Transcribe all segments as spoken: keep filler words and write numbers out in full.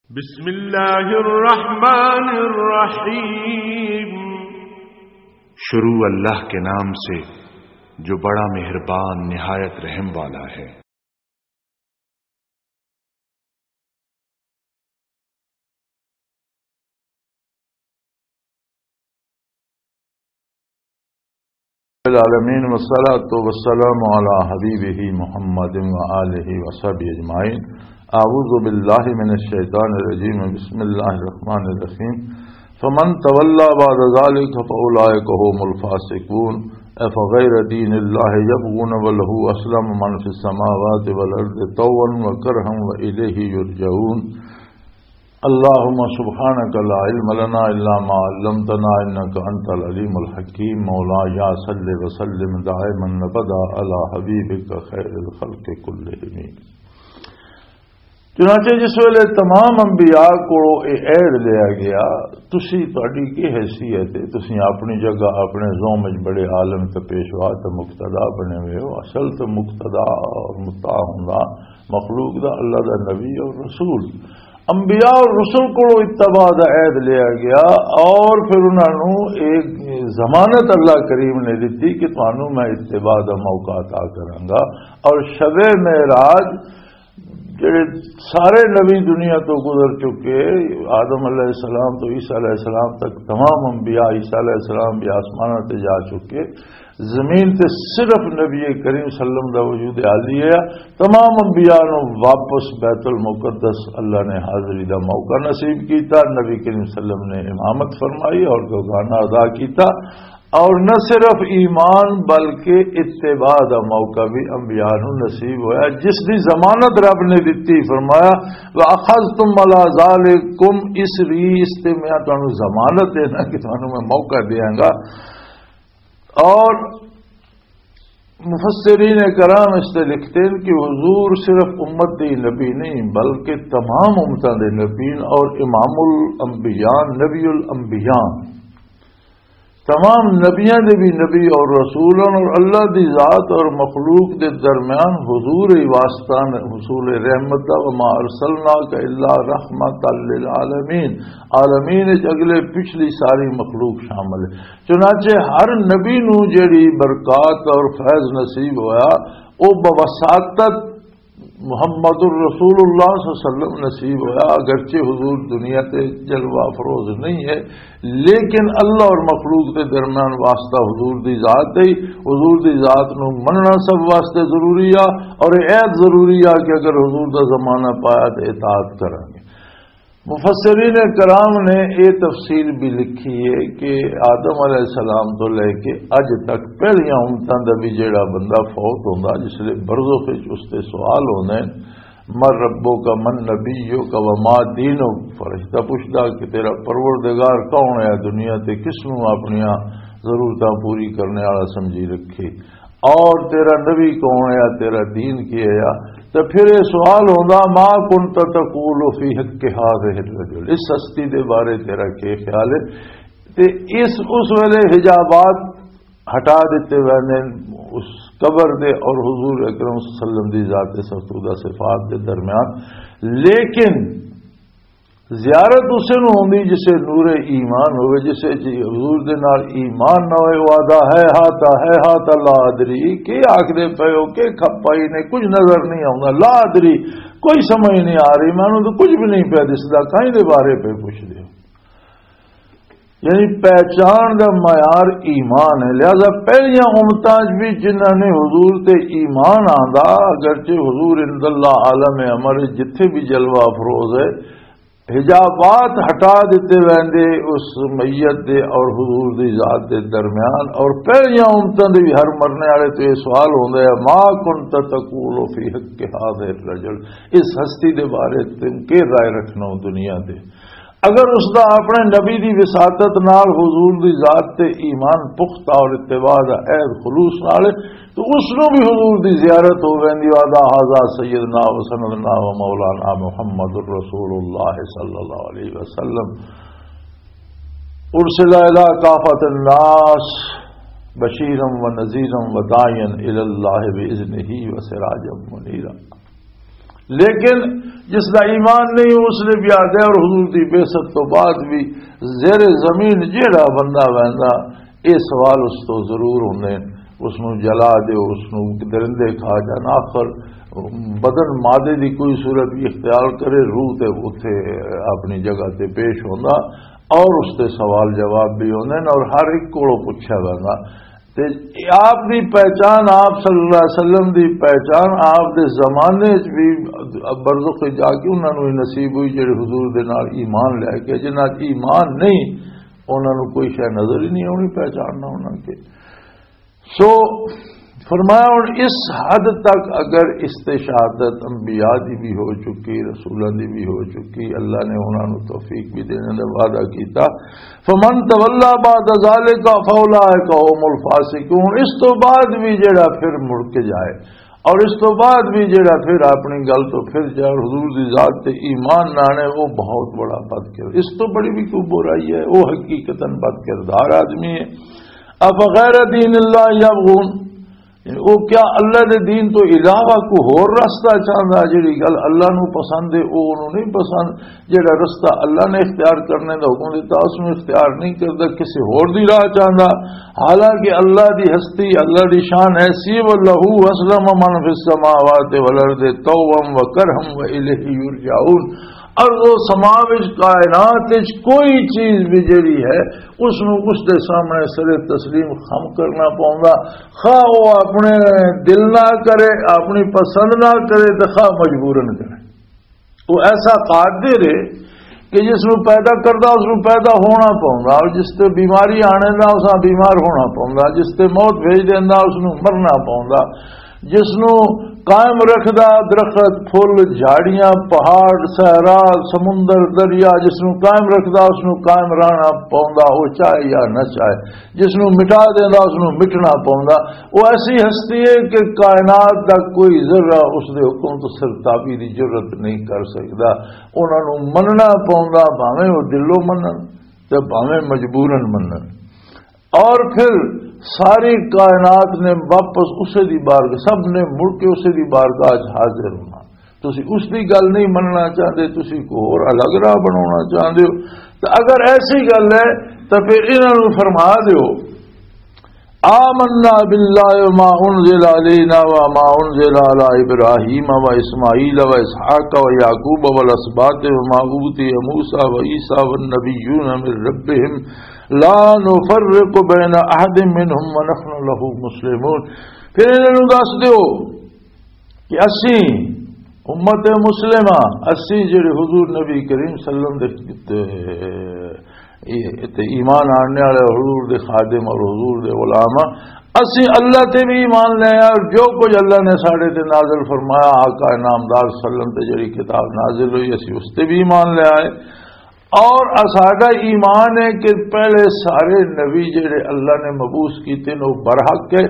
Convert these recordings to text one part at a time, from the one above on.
بسم اللہ الرحمن الرحیم۔ شروع اللہ کے نام سے، جو بڑا مہربان، نہایت رحم والا ہے۔ العالمین، والصلاة والسلام علی حبیبہ محمد و آلہ و صحبہ اجمعین۔ اعوذ باللہ من الشیطان الرجیم، بسم اللہ الرحمن الرحیم۔ فمن تولى بعد ذلك فأولئك هم الفاسقون۔ أفغير دين الله يبغون وله أسلم من في السماوات والأرض طوعا وكرها وإليه يرجعون۔ اللهم سبحانك لا علم لنا إلا ما علمتنا إنك أنت العليم الحكيم۔ مولاي صل وسلم دائما أبدا على حبيبك خير الخلق كلهم۔ چنانچہ جس ویلے تمام انبیاء کو یہ عہد لیا گیا، تسی، تہاڈی کی حیثیت ہے؟ تسی اپنی جگہ، اپنے زوم وچ بڑے عالم تے پیشوا تے مقتدا بنے ہوئے ہو۔ اصل تے مقتدا اور مطاع ہوندا مخلوق دا اللہ دا نبی اور رسول۔ انبیاء اور رسول کو اتباع دا عہد لیا گیا، اور پھر انہاں نوں ایک ضمانت اللہ کریم نے دتی کہ تانوں میں اتباع دا موقع عطا کراں گا۔ اور شب معراج جڑے سارے نبی دنیا تو گزر چکے، آدم علیہ السلام تو عیسیٰ علیہ السلام تک تمام انبیاء، عیسیٰ علیہ السلام بھی آسماناں تے جا چکے، زمین تے صرف نبی کریم صلی اللہ علیہ وسلم دا وجود عالی ہے۔ تمام انبیاء نو واپس بیت المقدس اللہ نے حاضری دا موقع نصیب کیتا، نبی کریم صلی اللہ علیہ وسلم نے امامت فرمائی اور گوگانا ادا کیتا۔ اور نہ صرف ایمان بلکہ اتباع دا موقع بھی انبیاء نوں نصیب ہویا، جس دی ضمانت رب نے دتی۔ فرمایا، "وَأَخَذْتُمْ عَلَى ذَٰلِكُمْ إِصْرِي"، اس تے میں تانوں ضمانت دینا کہ تانوں میں موقع دیاں گا۔ اور مفسرین کرام اس تے لکھتے ہیں کہ حضور صرف امت دی نبی نہیں بلکہ تمام امتاں دے نبی اور امام الانبیاء، نبی الانبیاء۔ تمام نبیاں دے بھی نبی اور رسول ہن، اور اللہ دی ذات اور مخلوق دے درمیان حضور ہی واسطہ نے، حصول رحمت دا، "وما ارسلناک الا رحمتا للعالمین"۔ عالمین وچ اگلے پچھلی ساری مخلوق شامل ہے۔ چنانچہ ہر نبی نو جڑی برکات اور فیض نصیب ہویا، او بوساطت محمد الرسول اللہ صلی اللہ علیہ وسلم نصیب ہویا، اگرچہ حضور دنیا تے جلوہ افروز نہیں ہے، لیکن اللہ اور مخلوق دے درمیان واسطہ حضور دی ذات ہے۔ حضور دی ذات نو مننا سب واسطے ضروری آ، اور اے عہد ضروری آ کہ اگر حضور دا زمانہ پایا تے اطاعت کریں گے۔ مفسرین کرام نے یہ تفصیل بھی لکھی ہے کہ آدم علیہ السلام تو لے کے اج تک پہلیاں امتاں دا بھی جڑا بندہ فوت ہوندا، جس لئے برزخ وچ اس تے سوال ہوندے، "من ربک، من نبیک، وما دینک؟" فرشتہ پوچھدا کہ تیرا پروردگار کون ہے، دنیا تے کس نوں اپنیاں ضرورتاں پوری کرنے والا سمجھی رکھے؟ اور تیرا نبی کون ہے، تیرا دین کی ہے؟ تو پھر یہ سوال ہوندا، "ما کنت تقول فی حق هذا الرجل"، اس ہستی دے بارے تیرا کی خیال ہے؟ تے اس، اس ویلے حجابات ہٹا دیتے ویندے اس قبر دے اور حضور اکرم صلی اللہ علیہ وسلم دی ذات سفودہ صفات دے درمیان۔ لیکن زیارت اسے نوں ہوندی جسے نور ایمان ہوئے، جسے جی حضور دے نال ایمان نہ ہوئے، وعدہ ہے ہاتا، ہے ہاتا لا ادری، کی آکھ دے پئے ہو، کی کھپائی نے، کچھ نظر نہیں آوندا، لا ادری، کوئی سمجھ نہیں آ رہی، مینوں تو کچھ بھی نہیں پیا دسدا، کہیں دے بارے پہ پوچھ دے ہو۔ یعنی پہچان دا معیار ایمان ہے۔ لہذا پہلیاں امتاں وچ بھی جنہاں نے حضور تے ایمان آندا، اگرچہ حضور عند اللہ عالم امر، جتھے بھی جلوہ افروز ہے، حجابات ہٹا دیتے ویندے اس میت دے اور حضور دی ذات دے درمیان، اور پہلیاں امتاں دے بھی ہر مرنے والے تو یہ سوال ہوندا ہے، "ما کنت تقول فی حق هذا الرجل"، اس ہستی دے بارے تم کی رائے رکھنا ہو دنیا دے؟ اگر اس دا اپنے نبی دی وساطت نال حضور دی ذات تے ایمان پختہ اور اتباع دا عہد خلوص نال ہے، تو اس نوں بھی حضور دی زیارت ہو ویندی۔ وعدہ هذا سیدنا و سندنا و مولانا محمد رسول اللہ صلی اللہ علیہ وسلم، ارسل الی کافۃ الناس بشیرا و نذیرا و داعیا الی اللہ باذنہ و سراجا منیرا۔ لیکن جس دا ایمان نہیں، اس نے بھی آدھے، اور حضور دی بعثت تو بعد بھی زیر زمین جیڑا بندہ ویندا، یہ سوال اس تو ضرور ہوندے۔ اس نو جلا دیو، اس نو درندے کھا جان، آخر بدن مادے دی کوئی صورت بھی اختیار کرے، روح تے اتھے اپنی جگہ تے پیش ہوندا، اور اس تے سوال جواب بھی ہوندے نے، اور ہر ایک کولوں پوچھا ویندا۔ تے آپ دی پہچان، آپ صلی اللہ علیہ وسلم دی پہچان، آپ دے زمانے چ بھی برزخ وچ جا کے انہاں نوں ہی نصیب ہوئی، جڑے حضور دے نال ایمان لے کے، جنہاں چ ایمان نہیں، انہاں نوں کوئی شے نظر ہی نہیں آونی، پہچاننا انہاں کے۔ سو فرمایا، ہن اس حد تک اگر استشہادت انبیاء دی بھی ہو چکی، رسولاں دی بھی ہو چکی، اللہ نے انہاں نوں توفیق بھی دینے دا وعدہ کیتا، فمن تولا بعد ذالک فاولئک هم الفاسقون۔ اس تو بعد بھی جڑا پھر مڑ کے جائے اور اس تو بعد بھی جڑا پھر اپنی گل تو پھر جائے اور حضور دی ذات تے ایمان نہ آنے، وہ بہت بڑا بد کردار، اس تو بڑی بھی کوئی برائی ہے، وہ حقیقتاً بد کردار آدمی ہے۔ افغیر دین اللہ یبغون، یعنی وہ کیا اللہ دے دین تو علاوہ کوئی ہور رستہ چاہندا؟ جڑی گل اللہ نو پسند ہے، وہ انہوں نہیں پسند۔ جڑا رستہ اللہ نے اختیار کرنے دا حکم دیتا، اس نوں اختیار نہیں کردا، کسی ہور دی راہ چاہندا۔ حالانکہ اللہ دی ہستی، اللہ دی شان ایسی ہے، وَلَهُ أَسْلَمَ مَنْ فِي السَّمَاوَاتِ وَالْأَرْضِ طَوْعًا وَكَرْهًا وَإِلَيْهِ يُرْجَعُونَ۔ ارض و سما وچ، کائنات وچ کوئی چیز بھی جڑی ہے، اس نوں اس دے سامنے سر تسلیم خم کرنا پوندا، خواہ وہ اپنے دل نہ کرے، اپنی پسند نہ کرے، تے خواہ مجبوراً کرے۔ وہ ایسا قادر ہے کہ جس نوں پیدا کردا، اس نوں پیدا ہونا پوندا، اور جس تے بیماری آنے دا، اس نوں بیمار ہونا پوندا، جس تے موت بھیج دیندا، اس نوں مرنا پوندا، جس نوں قائم رکھدا، درخت، پھل، جھاڑیاں، پہاڑ، صحرا، سمندر، دریا، جس نوں قائم رکھدا، اس نوں قائم رہنا پوندا، وہ چاہے یا نہ چاہے۔ جس نوں مٹا دیندا، اس نوں مٹنا پوندا۔ وہ ایسی ہستی ہے کہ کائنات دا کوئی ذرہ اس دے حکم تو سرتابی دی جرت نہیں کر سکدا۔ انہاں نوں مننا پوندا، بھاویں وہ دلوں منن تے بھاویں مجبوراً منن۔ اور پھر ساری کائنات نے واپس اسے دی بارگاہ، سب نے مڑ کے اسے دی بارگاہ اچ حاضر ہونا۔ تسی اس دی گل نہیں مننا چاہندے، تسی کوئی ہور الگ راہ بناونا چاہندے ہو۔ تو اگر ایسی گل ہے تو پھر انہاں نوں فرما دیو، آمنا باللہ وما انزل علینا وما انزل علی ابراہیم و اسماعیل و اسحاق و یعقوب والاسباط وما اوتی موسی و عیسی والنبیون من ربهم لا نفرق بین احد منهم ونحن له مسلمون۔ پھر انہاں نوں دس دیو کہ اسی امت مسلمہ، اسی جڑے حضور نبی کریم صلی اللہ علیہ وسلم دے، دے، تے ایمان آننے والے حضور دے خادم اور حضور دے غلام ہاں، اسی اللہ تے بھی ایمان لے آئے اور جو کچھ اللہ نے ساڈے تے نازل فرمایا، آقا نامدار صلی اللہ علیہ وسلم تے جڑی کتاب نازل ہوئی، اسی اس تے بھی ایمان لے آئے۔ اور اساڈا ایمان ہے کہ پہلے سارے نبی جڑے اللہ نے مبعوث کیتے نے، وہ برحق ہے،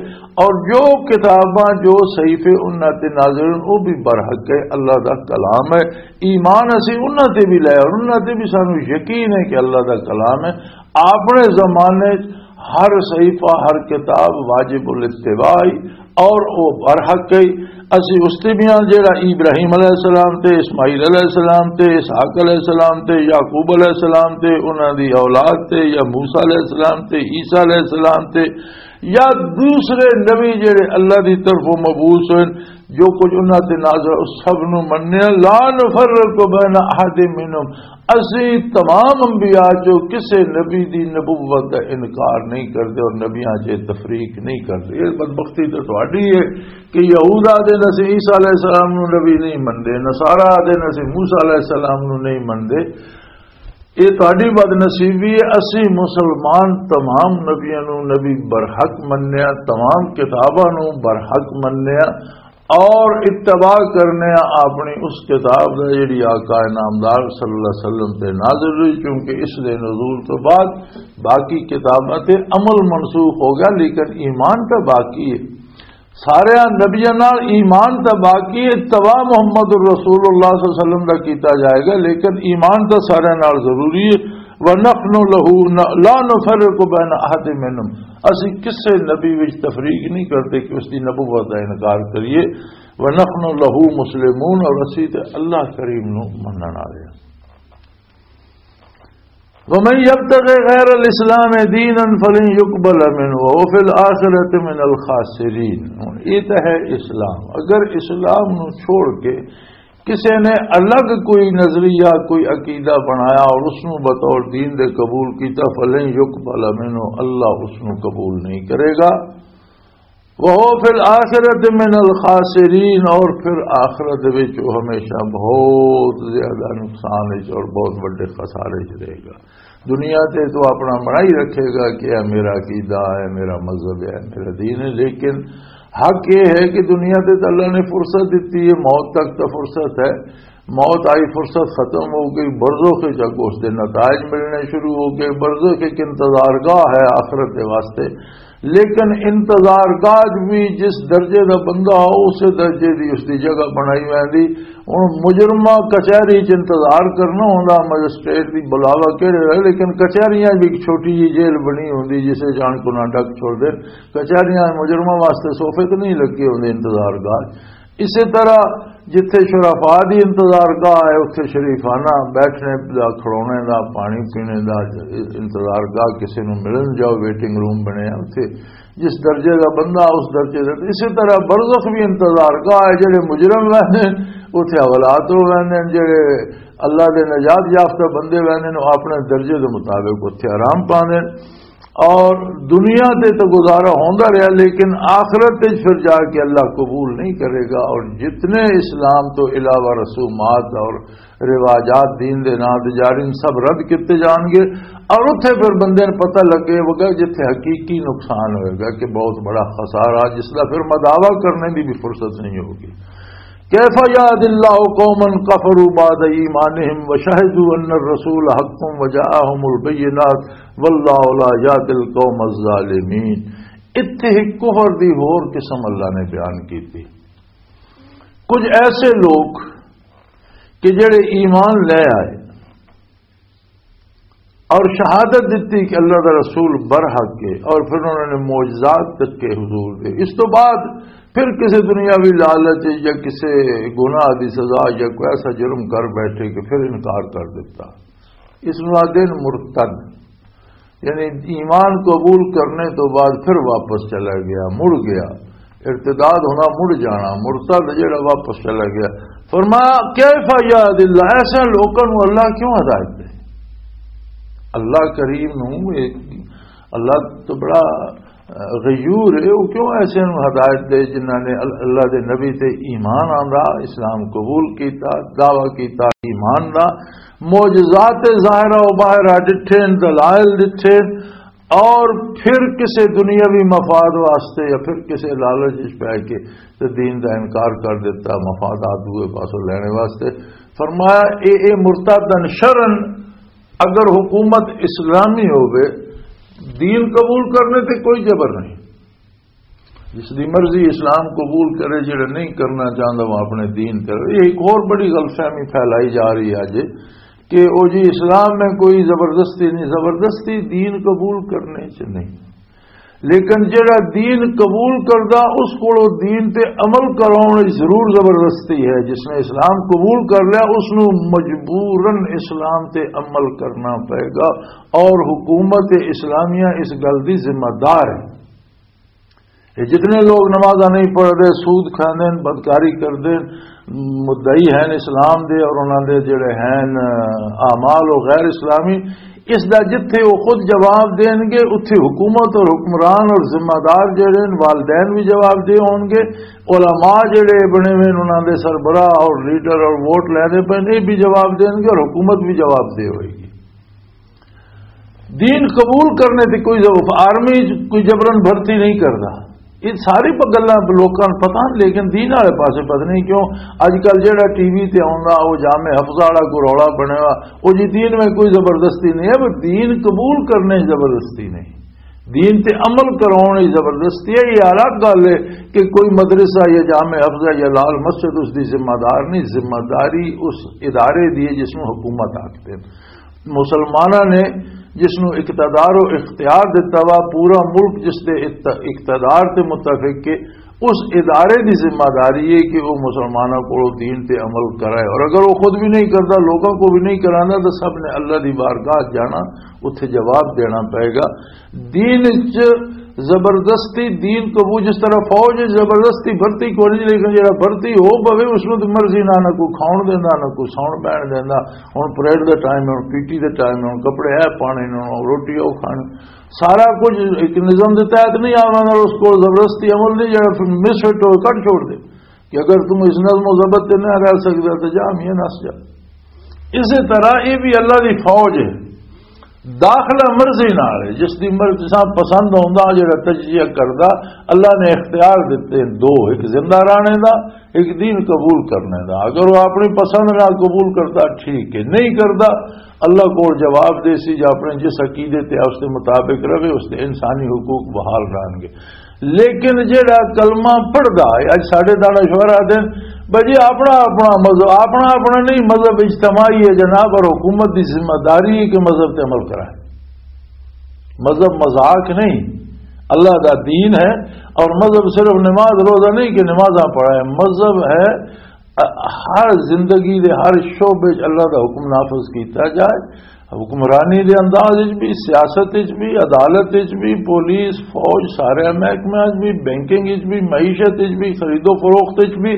اور جو کتاباں، جو صحیفے انہاں تے نازل ہوئے، وہ بھی برحق ہے، اللہ دا کلام ہے۔ ایمان اسی انہاں تے بھی لے، اور انہاں تے بھی سانو یقین ہے کہ اللہ دا کلام ہے۔ اپنے زمانے ہر صحیفہ، ہر کتاب واجب الاتباع ہی، اور وہ برحق ہے۔ اسی اس تے بھی ہاں جڑا ابراہیم علیہ السلام تے، اسماعیل علیہ السلام تے، اسحاق علیہ السلام تے، یعقوب علیہ السلام تے، انہاں دی اولاد تے، یا موسیٰ علیہ السلام تے، عیسیٰ علیہ السلام تے، یا دوسرے نبی جڑے اللہ دی طرفوں مبعوث ہوئے، جو کچھ انہاں تے نازل، اس سب نو مننے۔ لا نفرق بین احد منہم، اسی تمام انبیاء چوں کسے نبی دی نبوت دا انکار نہیں کردے اور نبیاں چ تفریق نہیں کردے۔ یہ بدبختی تے تہاڈی ہے کہ یہود آدھے نے اسی عیسیٰ علیہ السلام نو نبی نہیں مندے، نصارا آدھے نے اسی موسیٰ علیہ السلام نو نہیں مندے۔ یہ تہاڈی بدنصیبی ہے۔ اسی مسلمان تمام نبیاں نو نبی برحق منیا، تمام کتاباں نو برحق منیا، اور اتباع کرنے آ اپنی اس کتاب دا جڑی آقا نامدار صلی اللہ علیہ وسلم تے نازل ہوئی، کیونکہ اس دے نزول تو بعد باقی کتاباں تے عمل منسوخ ہو گیا، لیکن ایمان تو باقی ہے۔ سارے نبیاں نال ایمان تو باقی ہے، اتباع محمد الرسول اللہ صلی اللہ علیہ وسلم دا کیتا جائے گا، لیکن ایمان تو سارے نال ضروری ہے۔ وَنَحْنُ لَهُ ن-، لَا نُفَرِّقُ بَيْنَ أَحَدٍ مِّنْهُمْ، اسی کسے نبی وچ تفریق نہیں کرتے کہ اس دی نبوت دا انکار کریے۔ ونحن له مسلمون، اور اسی تے اللہ کریم نو منن والے ہاں۔ ومن يبتغ غير الاسلام دينا فلن يقبل منه وهو في الآخرة من الخاسرين۔ ہن یہ تو ہے اسلام۔ اگر اسلام نو چھوڑ کے کسی نے الگ کوئی نظریہ، کوئی عقیدہ بنایا اور اس نو بطور دین دے قبول کیتا، فلن يقبل منه، اللہ اس نو قبول نہیں کرے گا۔ وهو في الآخرة من الخاسرين، اور پھر آخرت وچ وہ ہمیشہ بہت زیادہ نقصان وچ اور بہت بڑے خسارے وچ رہے گا۔ دنیا تے تو اپنا بڑائی رکھے گا کہ اے میرا عقیدہ ہے، میرا مذہب ہے، میرا دین ہے، لیکن حق یہ ہے کہ دنیا تے تو اللہ نے فرصت دیتی ہے، موت تک تو فرصت ہے۔ موت آئی، فرصت ختم ہو گئی، برزخ وچ اگوں اس دے نتائج ملنے شروع ہو گئے۔ برزخ ایک انتظار گاہ ہے آخرت دے واسطے، لیکن انتظار گاہ بھی جس درجے دا بندہ ہو، اسے درجے دی اس دی جگہ بنائی ویندی۔ ہن مجرمہ کچہری چ انتظار کرنا ہوندا، مجسٹریٹ دی بلاوا کہڑے ہوئے، لیکن کچہریاں بھی ایک چھوٹی جی جیل بنی ہوندی، جسے جان کو نہ ڈک چھوڑ دے۔ کچہریاں مجرمہ واسطے صوفے تو نہیں لگے ہوندے انتظار گاہ۔ اسی طرح جتھے شرفا دی انتظار گاہ ہے، اتھے شریفانہ بیٹھنے دا، کھڑونے دا، پانی پینے دا انتظار گاہ، کسی نوں ملن جاؤ، ویٹنگ روم بنے اتھے، جس درجے دا بندہ اس درجے دا۔ اسی طرح برزخ بھی انتظار گاہ ہے، جڑے مجرم رہندے اتھے حوالات ہو رہندے، جڑے اللہ دے نجات یافتہ بندے رہندے، وہ اپنے درجے دے مطابق اتھے آرام پاندے۔ اور دنیا تے تو گزارا ہوندا رہیا، لیکن آخرت وچ پھر جا کے اللہ قبول نہیں کرے گا۔ اور جتنے اسلام تو علاوہ رسومات اور رواجات دین دے نام تے جاری، ان سب رد کیتے جان گے۔ اور اتھے پھر بندے نوں پتہ لگے گا جتھے حقیقی نقصان ہوئے گا، کہ بہت بڑا خسارہ، جس دا پھر مداوا کرنے دی بھی فرصت نہیں ہوگی۔ كيف يهدي الله قوما كفروا بعد إيمانهم وشهدوا أن الرسول حق وجاءهم البينات والله لا يهدي القوم الظالمين۔ اتھے ہی کفر دی ہور قسم اللہ نے بیان کی تھی۔ کچھ ایسے لوگ کہ جڑے ایمان لے آئے اور شہادت دیتی کہ اللہ دا رسول برحق ہے، اور پھر انہوں نے معجزات تک کے حضور دے، اس تو بعد پھر کسی دنیاوی لالچ یا کسی گناہ دی سزا یا کوئی ایسا جرم کر بیٹھے کہ پھر انکار کر دیتا، اس نوں آدھے نے مرتد۔ یعنی ایمان قبول کرنے تو بعد پھر واپس چلا گیا، مڑ گیا۔ ارتداد ہونا، مڑ جانا، مرتد جڑا واپس چلا گیا۔ فرمایا، "کیف یہد اللہ"، ایسے لوگوں نوں اللہ کیوں ہدایت دے؟ اللہ کریم نوں ایک، اللہ تو بڑا غیور ہے، وہ کیوں ایسے نوں ہدایت دے جنہاں نے ال-، اللہ دے نبی تے ایمان آندا، اسلام قبول کیتا، دعویٰ کیتا ایمان دا، معجزات ظاہرہ و باہرہ ڈٹھے، دلائل ڈٹھے، اور پھر کسے دنیاوی مفاد واسطے یا پھر کسے لالچ وچ پے کے تے دین دا انکار کر دیتا، مفادات دوئے پاسوں لینے واسطے۔ فرمایا، اے، اے مرتدن شرن، اگر حکومت اسلامی ہووے، دین قبول کرنے تے کوئی جبر نہیں۔ جس دی مرضی اسلام قبول کرے، جڑا نہیں کرنا چاہتا وہ اپنے دین تے رہے۔ یہ ایک اور بڑی غلط فہمی پھیلائی جا رہی ہے اج کہ او جی اسلام میں کوئی زبردستی نہیں، زبردستی دین قبول کرنے چ نہیں۔ لیکن جڑا دین قبول کردا، اس کولوں دین تے عمل کراؤن وچ ضرور زبردستی ہے۔ جس نے اسلام قبول کر لیا، اس نوں مجبوراً اسلام تے عمل کرنا پائے گا، اور حکومت اسلامیہ اس گل دی ذمہ دار ہے۔ یہ جتنے لوگ نمازاں نہیں پڑھ رہے، سود کھاندے ہیں، بدکاری کردے ہیں، مدعی ہیں اسلام دے اور انہاں دے جڑے ہیں اعمال و غیر اسلامی، اس دا جتھے وہ خود جواب دین گے، اتھے حکومت اور حکمران اور ذمہ دار جڑے ہیں، والدین بھی جواب دے ہون گے، علماء جڑے بنے ہوئے ہیں، انہاں دے سربراہ اور لیڈر اور ووٹ لینے پے، یہ بھی جواب دین گے اور حکومت بھی جواب دے ہوئے گی۔ دین قبول کرنے تے کوئی ضرورت، آرمی چ کوئی جبرن بھرتی نہیں کردا۔ یہ ساری پ-، گلاں لوکاں نوں پتہ، لیکن دین والے پاسے پتہ نہیں کیوں اج کل جڑا ٹی وی تے آوندا، وہ جامع حفظہ والا کوئی رولا بنیا ہوا، وہ جی دین میں کوئی زبردستی نہیں ہے، وہ دین قبول کرنے چ زبردستی نہیں، دین تے عمل کراؤن چ زبردستی ہے۔ یہ الگ گل ہے کہ کوئی مدرسہ یا جامع حفظہ یا لال مسجد اس دی ذمہ دار نہیں، ذمہ داری اس ادارے دی ہے جس نوں حکومت آکھدے نے۔ مسلماناں نے جس نوں اقتدار و اختیار دتا وا، پورا ملک جس دے اقت-، اقتدار تے متفق کے، اس ادارے دی ذمہ داری ہے کہ وہ مسلمانوں کو دین تے عمل کرائے، اور اگر وہ خود بھی نہیں کرتا، لوگوں کو بھی نہیں کرانا، تو سب نے اللہ دی بارگاہ جانا، اتھے جواب دینا پائے گا۔ دین وچ زبردستی، دین قبول، جس طرح فوج وچ زبردستی بھرتی کوئی نہیں، لیکن جڑا بھرتی ہو پوے، اس نوں تے مرضی نہ، نہ کوئی کھاؤن دیندا، نہ کوئی ساؤن پہن دیندا۔ ہن پریڈ دا ٹائم ہے، ہن پیٹی دا ٹائم ہے، ہن کپڑے ہے پانے نے، ہن روٹی او کھانی، سارا کچھ ایک نظام دے تحت نہیں آنا، اور اس کو زبردستی عمل نہیں، جڑا پھر مس فٹ ہو کٹ چھوڑ دے کہ اگر تم اس نظم و ضبط تے نہ رہ سکدا تو جا میاں نس جا۔ اسی طرح یہ بھی اللہ دی فوج ہے، داخلہ مرضی نال ہے، جس دی مرضی سا پسند ہوندا جڑا تجزیہ کردا۔ اللہ نے اختیار دتے ہیں دو، ایک زندہ رہنے دا، ایک دین قبول کرنے دا۔ اگر وہ اپنی پسند نال قبول کردا، ٹھیک ہے، نہیں کردا، اللہ کو جواب دے سی، جو اپنے جس عقیدے تے اس دے مطابق رہے، اس دے انسانی حقوق بحال رہن گے۔ لیکن جڑا کلمہ پڑھدا ہے، اج ساڈے دانا شوہر آدھے، بھائی جی، اپنا اپنا مذہب، اپنا اپنا نہیں، مذہب اجتماعی ہے جناب، اور حکومت دی ذمہ داری ہے کہ مذہب تے عمل کرائے۔ مذہب مذاق نہیں، اللہ دا دین ہے۔ اور مذہب صرف نماز روزہ نہیں کہ نمازاں پڑھائے، مذہب ہے ہر زندگی دے ہر شعبے وچ اللہ دا حکم نافذ کیتا جائے۔ حکمرانی دے انداز وچ بھی، سیاست وچ بھی، عدالت وچ بھی، پولیس، فوج، سارے محکمے وچ بھی، بینکنگ وچ بھی، معیشت وچ بھی، خرید و فروخت وچ بھی،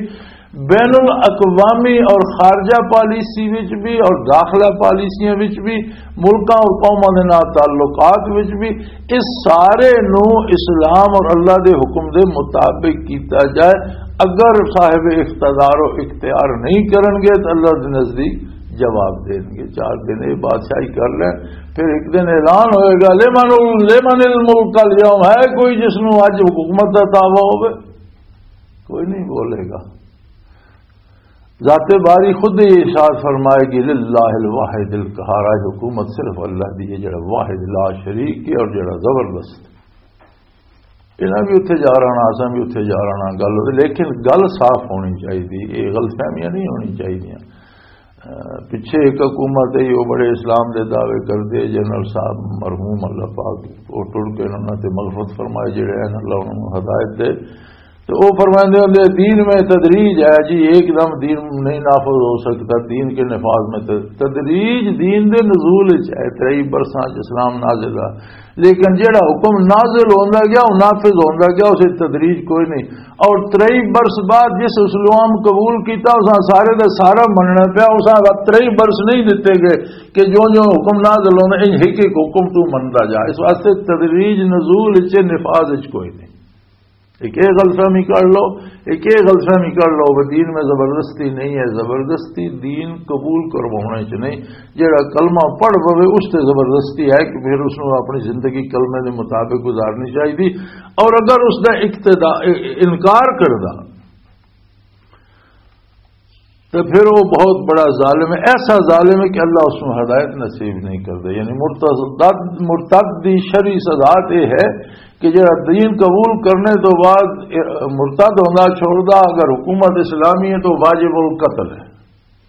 بین الاقوامی اور خارجہ پالیسی وچ بھی اور داخلہ پالیسیاں وچ بھی، ملکاں اور قوماں دے نال تعلقات وچ بھی، اس سارے نو اسلام اور اللہ دے حکم دے مطابق کیتا جائے۔ اگر صاحب اقتدار و اختیار نہیں کرن گے تو اللہ دے نزدیک جواب دین گے۔ چار دن یہ بادشاہی کر لیں، پھر ایک دن اعلان ہوئے گا، "لمن ال-، لمن الملک الیوم"، ہے کوئی جس نو اج حکومت دا دعویٰ ہوئے؟ کوئی نہیں بولے گا۔ ذات باری خود ہی ارشاد فرمائے گی، "للہ الواحد القہار"، آج حکومت صرف اللہ دی ہے، جڑا واحد لا شریک ہے اور جڑا زبردست۔ انہاں بھی اتھے جا رہنا، اساں بھی اتھے جا رہنا، گل ہوئی، لیکن گل صاف ہونی چاہیے، یہ غلط فہمیاں نہیں ہونی چاہیے۔ اہ، پچھے ایک حکومت ہے، وہ بڑے اسلام دے دعوے کر دے، جنرل صاحب مرحوم اللہ پاک، وہ ٹر کے انہاں تے مغفرت فرمائے، جڑے ہیں اللہ انہاں نوں ہدایت دے، تو وہ فرماندے ہوندے، "دین میں تدریج ہے جی، ایک دم دین نہیں نافذ ہو سکتا، دین کے نفاذ میں تد-، تدریج دین دے نزول وچ ہے، ترئی برساں چ اسلام نازل ہے، لیکن جڑا حکم نازل ہوندا گیا، وہ نافذ ہوندا گیا، اسے تدریج کوئی نہیں۔" اور ترئی برس بعد جس اسلام قبول کیتا، اساں سارے دا سارا مننا پیا، اساں ترئی برس نہیں دتے گئے کہ جو جو حکم نازل ہوندا، ان ایک ایک حکم تو مندا جا۔ اس واسطے تدریج نزول وچ، نفاذ وچ کوئی نہیں۔ ایک یہ غلط فہمی کر لو، ایک یہ غلط فہمی کر لو کہ دین میں زبردستی نہیں ہے، زبردستی دین قبول کروانے چ نہیں۔ جڑا کلمہ پڑھ پوے، اس تے زبردستی ہے کہ پھر اس نوں اپنی زندگی کلمے دے مطابق گزارنی چاہیے۔ اور اگر اس دا اقتدا، انکار کردا، تو پھر وہ بہت بڑا ظالم ہے، ایسا ظالم ہے کہ اللہ اس نوں ہدایت نصیب نہیں کردا۔ یعنی مرتد، مرتد دی شرعی سزا تے ہے کہ جڑا دین قبول کرنے تو بعد مرتد ہونا چھوڑدا، اگر حکومت اسلامی ہے تو واجب القتل ہے،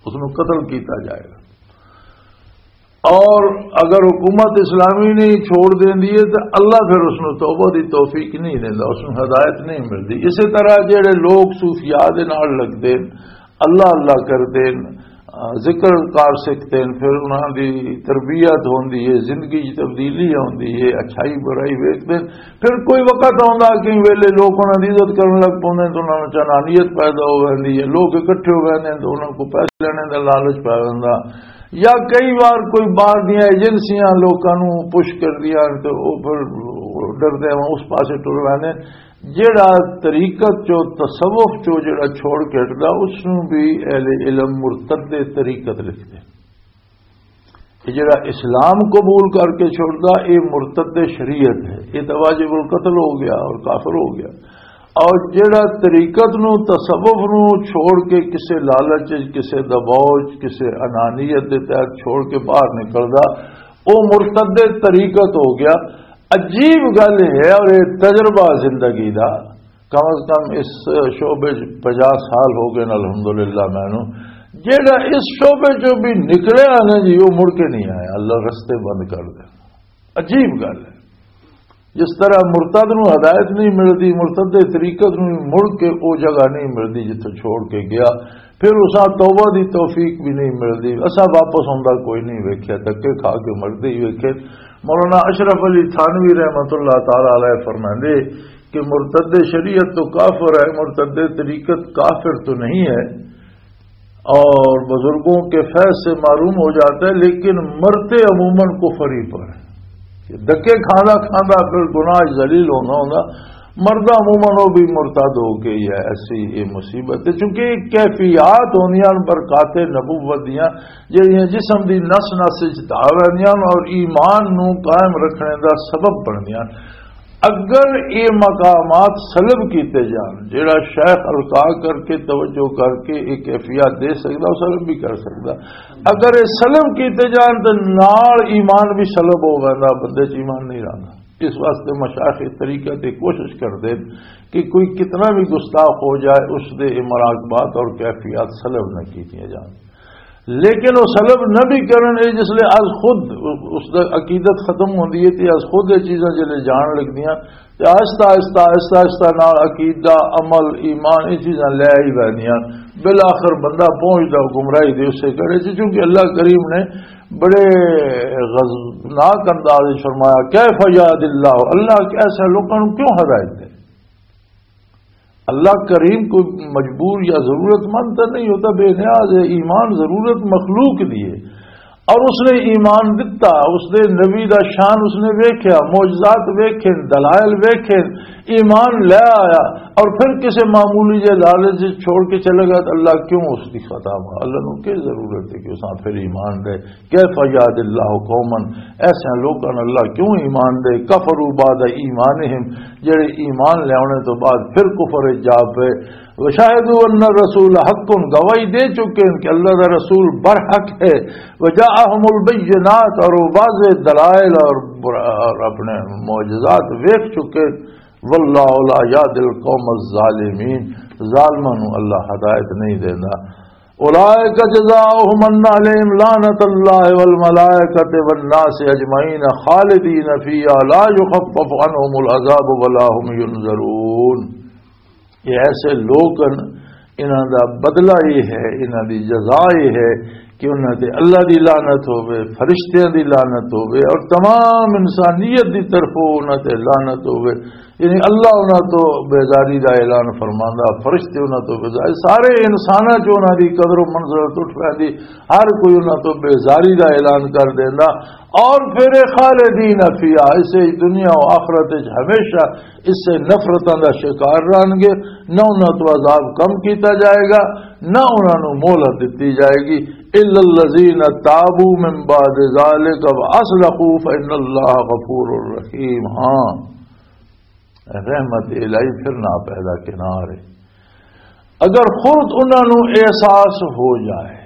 اس نوں قتل کیتا جائے گا۔ اور اگر حکومت اسلامی نہیں چھوڑ دیندی ہے تو اللہ پھر اس نوں توبہ دی توفیق نہیں دیندا، اس نوں ہدایت نہیں ملدی۔ اسی طرح جڑے لوگ صوفیاء دے نال لگدے، اللہ اللہ کردے، ذکر کار سکھدے، پھر انہاں دی تربیت ہوندی ہے، زندگی دی تبدیلی ہوندی ہے، اچھائی برائی ویکھدے، پھر کوئی وقت آندا کہ ویلے لوگ انہاں دی عزت کرن لگ پوندے، تو انہاں وچ انانیت پیدا ہو ویندی ہے، لوگ اکٹھے ہو ویندے تو انہاں کو پیسے لینے دا لالچ پے ویندا۔ یا کئی وار کوئی باہر دیاں ایجنسیاں لوکاں نوں پش کردیاں تے او پھر ڈردے ہوں اس پاسے ٹر ویندے۔ جیڑا طریقت چو، تصوف چو جیڑا چھوڑ کے ہٹدا، اس نوں بھی اہل علم مرتد طریقت لکھدے۔ یہ جڑا اسلام قبول کر کے چھوڑدا، یہ مرتد شریعت ہے، یہ تو واجب القتل ہو گیا اور کافر ہو گیا۔ اور جڑا طریقت نو، تصوف نو چھوڑ کے کسے لالچ وچ، کسے دباؤ وچ، کسے انانیت دے تحت چھوڑ کے باہر نکلدا، وہ مرتد طریقت ہو گیا۔ عجیب گل ہے، اور یہ تجربہ زندگی دا، کم از کم اس شعبے چ پنجاہ سال ہو گئے نے الحمدللہ مینوں۔ جیڑا اس شعبے چوں بھی نکلیا نا جی، وہ مڑ کے نہیں آیا، اللہ رستے بند کر دے۔ عجیب گل ہے۔ جس طرح مرتد نوں ہدایت نہیں ملدی، مرتد دے طریقت نوں مڑ کے او جگہ نہیں ملدی جتھوں چھوڑ کے گیا، پھر اساں توبہ دی توفیق بھی نہیں ملدی، اساں واپس آندا کوئی نہیں ویکھیا، دھکے کھا کے مردے ہی ویکھے۔ مولانا اشرف علی تھانوی رحمت اللہ تعالی علیہ فرماندے کہ مرتد شریعت تو کافر ہے، مرتد طریقت کافر تو نہیں ہے، اور بزرگوں کے فیض سے معلوم ہو جاتا ہے، لیکن مرتے عموماً کفر ہی پر ہے۔ دکے کھانا کھانا پھر گناہ ذلیل ہونا ہونا، مردہ عموماً وہ بھی مرتد ہو گئی ہے۔ ایسی یہ مصیبت ہے، چونکہ یہ کیفیات ہوندیاں ہن برکات نبوت دیاں، جہڑیاں جسم دی نس نس وچ دھا ویندیاں ہن اور ایمان نو قائم رکھنے دا سبب بندیاں ہن۔ اگر یہ مقامات سلب کیتے جان، جڑا شیخ القاء کر کے، توجہ کر کے یہ کیفیات دے سکدا، وہ سلب بھی کر سکدا۔ اگر یہ سلب کیتے جان تو نال ایمان بھی سلب ہو ویندا، بندے چ ایمان نہیں رہندا۔ اس واسطے مشائخ طریقہ تے کوشش کردے کہ کوئی کتنا بھی گستاخ ہو جائے، اس دے یہ مراقبات اور کیفیات سلب نہ کیتیاں جان۔ لیکن وہ سلب نہ بھی کرن، یہ جس لے از خود اس دا عقیدت ختم ہوندی ہے تے از خود یہ چیزاں جلے جان لگدیاں، تے آہستہ آہستہ، آہستہ آہستہ نال عقیدہ، عمل، ایمان، یہ چیزاں لے ہی بہنیاں۔ بالآخر بندہ پہنچدا گمراہی دے اسے کرے چ، چونکہ اللہ کریم نے بڑے غضبناک انداز وچ فرمایا، "کیف یہد اللہ"، اللہ ایسے لوگوں کو کیوں ہدایت دے؟ اللہ کریم کوئی مجبور یا ضرورت مند تو نہیں ہوتا، بے نیاز ہے، ایمان ضرورت مخلوق دی ہے۔ اور اس نے ایمان دتا، اس نے نبی دا شان اس نے ویکھیا، معجزات ویکھے، دلائل ویکھے، ایمان لے آیا، اور پھر کسے معمولی جے لالچ چھوڑ کے چلے گا تو اللہ کیوں اس کی خطا؟ اللہ نو کی ضرورت ہے کہ اس پھر ایمان دے؟ کیف یہد اللہ قوما، ایسے لوگوں اللہ کیوں ایمان دے؟ کفروا بعد ایمانہم، جڑے ایمان لیاونے تو بعد پھر کفر وچ جا پے۔ وشاہدوا ان الرسول حق، گواہی دے چکے ہیں کہ اللہ دا رسول برحق ہے۔ وجاءہم البینات، اور وہ واضح دلائل اور بر-، اور اپنے معجزات ویکھ چکے۔ واللہ لا یہدی القوم الظالمین، ظالماں نو اللہ ہدایت نہیں دیندا۔ اولئک جزاؤہم ان علیہم لعنت اللہ والملائکۃ والناس اجمعین خالدین فیہا لا یخفف عنہم العذاب ولا هم ینظرون۔ یہ ایسے لوگ ہیں، انہاں دا بدلہ یہ ہے، انہاں دی جزا یہ ہے کہ انہاں تے اللہ دی لعنت ہوے، فرشتیاں دی لعنت ہوے اور تمام انسانیت دی طرفوں انہاں تے لعنت ہوے۔ یعنی اللہ انہاں تو بیزاری دا اعلان فرماندا، فرشتے انہاں تو بیزاری، سارے انساناں چ انہاں دی قدر و منزلت اٹھ پیندی، ہر کوئی انہاں تو بیزاری دا اعلان کر دیندا۔ اور پھر خالدین فیہا، اسے دنیا و آخرت وچ ہمیشہ اس سے نفرتاں دا شکار رہن گے، نہ انہاں تو عذاب کم کیتا جائے گا، نہ انہاں نوں مہلت دتی جائے گی۔ الا الذین تابوا من بعد ذلک واصلحوا فان اللہ غفور رحیم۔ ہاں، رحمت الہی پھر نہ پیدا کنار ہے۔ اگر خود انہاں نوں احساس ہو جائے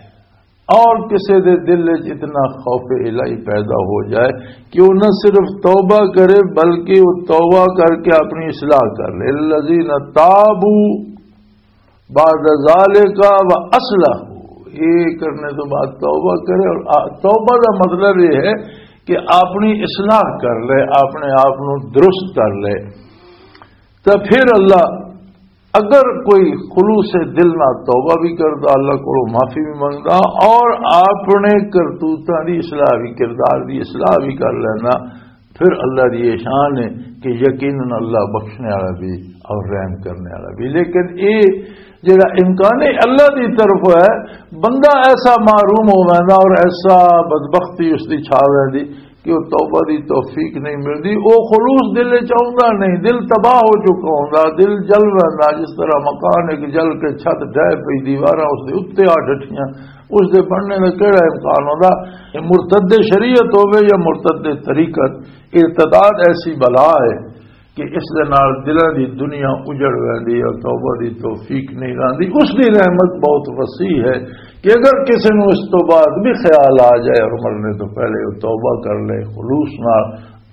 اور کسے دے دل وچ اتنا خوف الہی پیدا ہو جائے کہ وہ نہ صرف توبہ کرے بلکہ وہ توبہ کر کے اپنی اصلاح کر لے۔ الذین تابوا بعد ذالک و اصلحوا، یہ کرنے تو بعد توبہ کرے اور آ-، توبہ کا مطلب یہ ہے کہ اپنی اصلاح کر لے، اپنے آپ نو درست کر لے۔ تو پھر اللہ اگر کوئی خلوص دل نہ توبہ بھی کردا، اللہ کو معافی بھی منگدا اور اپنے کرتوتاں دی اصلاح بھی، کردار دی اصلاح بھی کر لینا، پھر اللہ دی یہ شان ہے کہ یقیناً اللہ بخشنے والا بھی اور رحم کرنے والا بھی۔ لیکن یہ جڑا امکان ہے اللہ دی طرف ہے، بندہ ایسا محروم ہو ویندا اور ایسا بدبختی اس دی چھا ویندی کہ وہ توبہ دی توفیق نہیں ملدی۔ وہ خلوص دل وچ آوندا نہیں، دل تباہ ہو چکا ہوندا، دل جل ویندا، جس طرح مکان ایک جل کے چھت ڈھہ پئی، دیواراں اس دے اُتے آ ڈٹھیاں، اس دے بننے دا کیڑا امکان ہوندا؟ یہ مرتد شریعت ہوے یا مرتد طریقت، ارتداد ایسی بلا ہے کہ اس دے نال دلاں دی دنیا اجڑ ویندی ہے، توبہ دی توفیق نہیں رہندی۔ اس دی رحمت بہت وسیع ہے کہ اگر کسی نوں اس تو بعد بھی خیال آ جائے اور مرنے تو پہلے وہ توبہ کر لے خلوص نال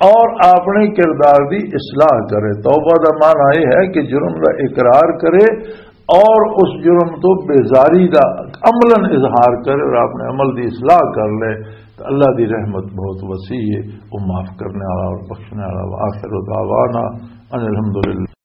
اور اپنے کردار دی اصلاح کرے۔ توبہ دا معنی یہ ہے کہ جرم دا اقرار کرے اور اس جرم تو بیزاری دا عملاً اظہار کرے اور اپنے عمل دی اصلاح کر لے، تو اللہ دی رحمت بہت وسیع ہے، وہ معاف کرنے والا اور بخشنے والا۔ وآخر دعوانا ان الحمدللہ۔